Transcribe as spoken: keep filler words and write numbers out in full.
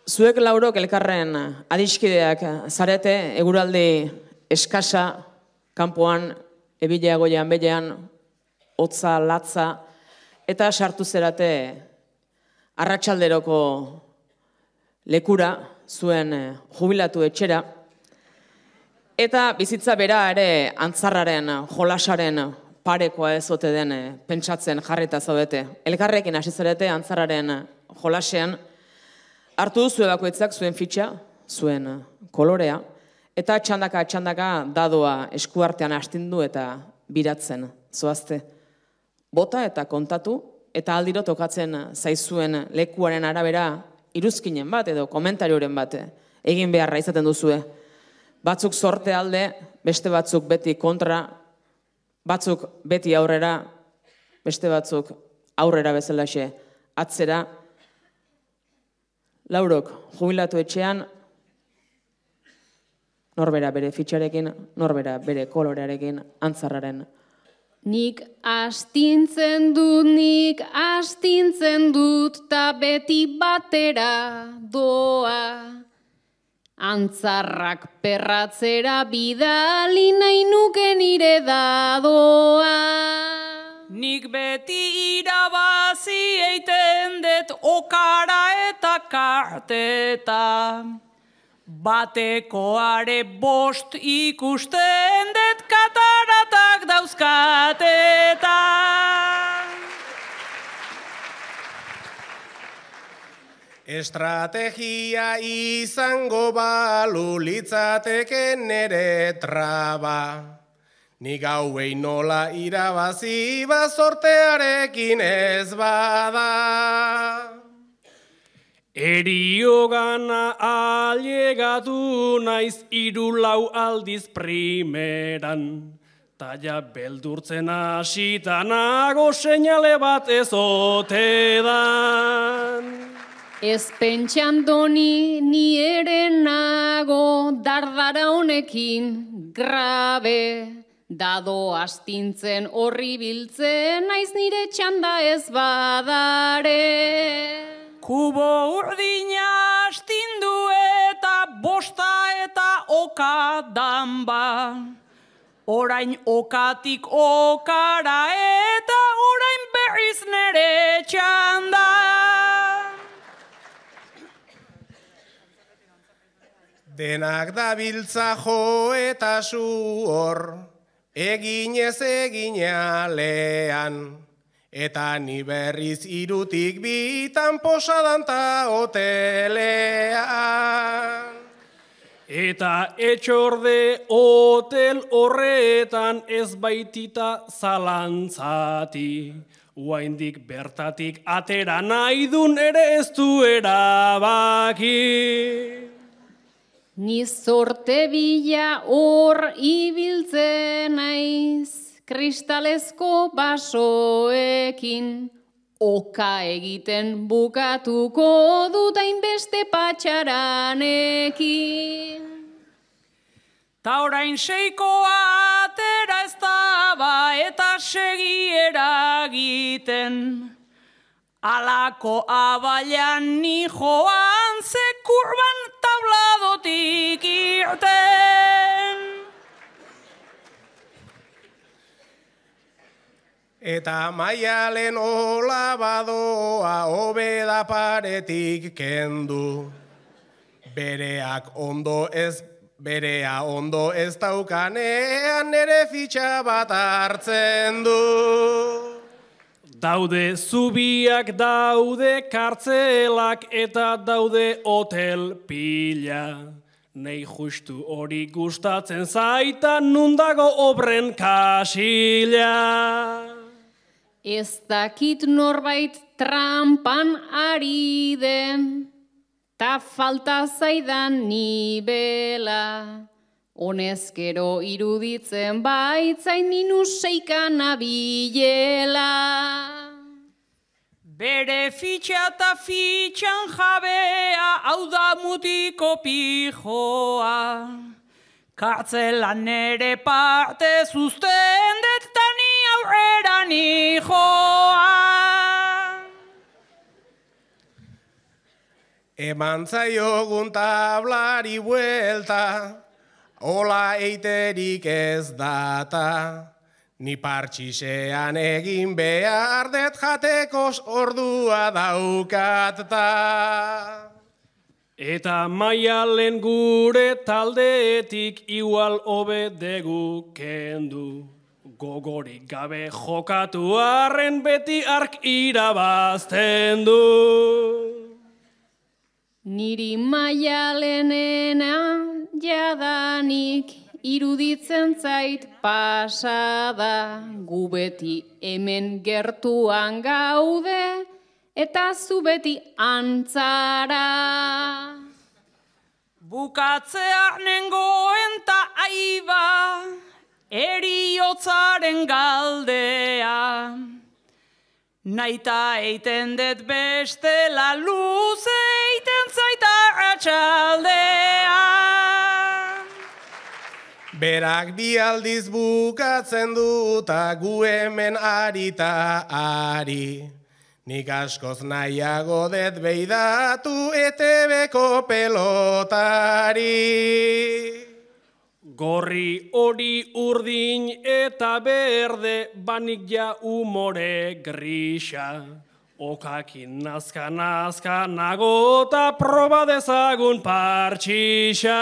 Zuek laurok elkarren adiskideak zarete, eguraldi eskasa, kanpoan, ebilea goian belean, hotza, latza, eta sartu zerate arratsalderoko lekura, zuen jubilatu etxera, eta bizitza bera ere antzarraren, jolasaren parekoa ez ote den pentsatzen jarrita zaudete. Elkarrekin hasi zarete antzarraren jolasean, hartu duzu bakoitzak zuen fitxa, zuen kolorea, eta txandaka txandaka dadoa eskuartean astindu eta biratzen zoazte. Bota eta kontatu, eta aldiro tokatzen zaizuen lekuaren arabera iruzkinen bat edo komentarioren bat egin beharra izaten duzue. Batzuk sorte alde, beste batzuk beti kontra, batzuk beti aurrera, beste batzuk aurrera bezalaxe atzera. Laurok, jubilatu etxean, norbera bere fitxarekin, norbera bere kolorearekin, antzarraren. Nik astintzen dut, nik astintzen dut, ta beti batera doa. Antzarrak perratzera bidali nahi nuke nire dadoa. Nik beti irabazi eiten dut okara eta karteta. Batekoare bost ikusten dut kataratak dauzkateta. Estrategia izango balu litzateke nere traba. Nik hauei nola irabazi bazortearekin ez bada. Eriogana ailegatu naiz hiru lau aldiz primeran. Taia beldurtzen hasita nago seinale bat ez ote dan. Ez pentsandoni ni ere nago dardara honekin grabe. Dado astintzen horri biltzen naiz nire txanda ez badare. Kubo urdina astindu eta bosta eta oka danba. Orain okatik okara eta orain berriz nere txanda. Denak dabiltza jo eta zu hor, eginez eginalean. Eta ni berriz irutik bitan posadan ta hotelean. Eta etxorde hotel horretan ez baitita zalantzati. Uaindik bertatik atera nahi dun ere ez du erabaki. Ni zorte bila hor ibiltzen naiz. Kristalezko basoekin, oka egiten bukatuko dut hainbeste patxaranekin. Ta orain seikoa atera ez daba eta segi eragiten. Alako abailan ni joan ze kurban tabladotik irten. Eta maialen hola badoa hobeda paretik kendu. Bereak ondo ez, berea ondo ez daukanean nere fitxa bat hartzen du. Daude zubiak, daude kartzelak eta daude hotel pila. Nei justu hori gustatzen zaita nundago obren kasila. Ez dakit norbait trampan ari den, ta falta zaidan nibela. Honezkero iruditzen baitzain minus seikan abilela. Bere fitxa eta fitxan jabea, hau da mutiko pijoa. Kartzelan nere parte zuzten dut tani aurrera nijoa. Eman zaiogun tablari buelta, hola eiterik ez data. Ni partxisean egin behar det jatekos ordua daukatta. Eta Maialen gure taldeetik igual hobe degu kendu. Gogorik gabe jokatu arren beti ark irabazten du. Niri Maialenena jadanik iruditzen zait pasada. Gu beti hemen gertuan gaude eta zu beti antzara. Bukatzea nengoen ta aiba, eriotzaren galdea. Naita eiten det bestela luze eiten zaita atxaldea. Berak bi aldiz bukatzen duta gu hemen arita ari. Nik askoz nahiago det beidatu E T Bko pelotari. Gorri hori urdin eta berde banik ja umore grisa. Okakin nazka nazka nago eta proba dezagun partxisa.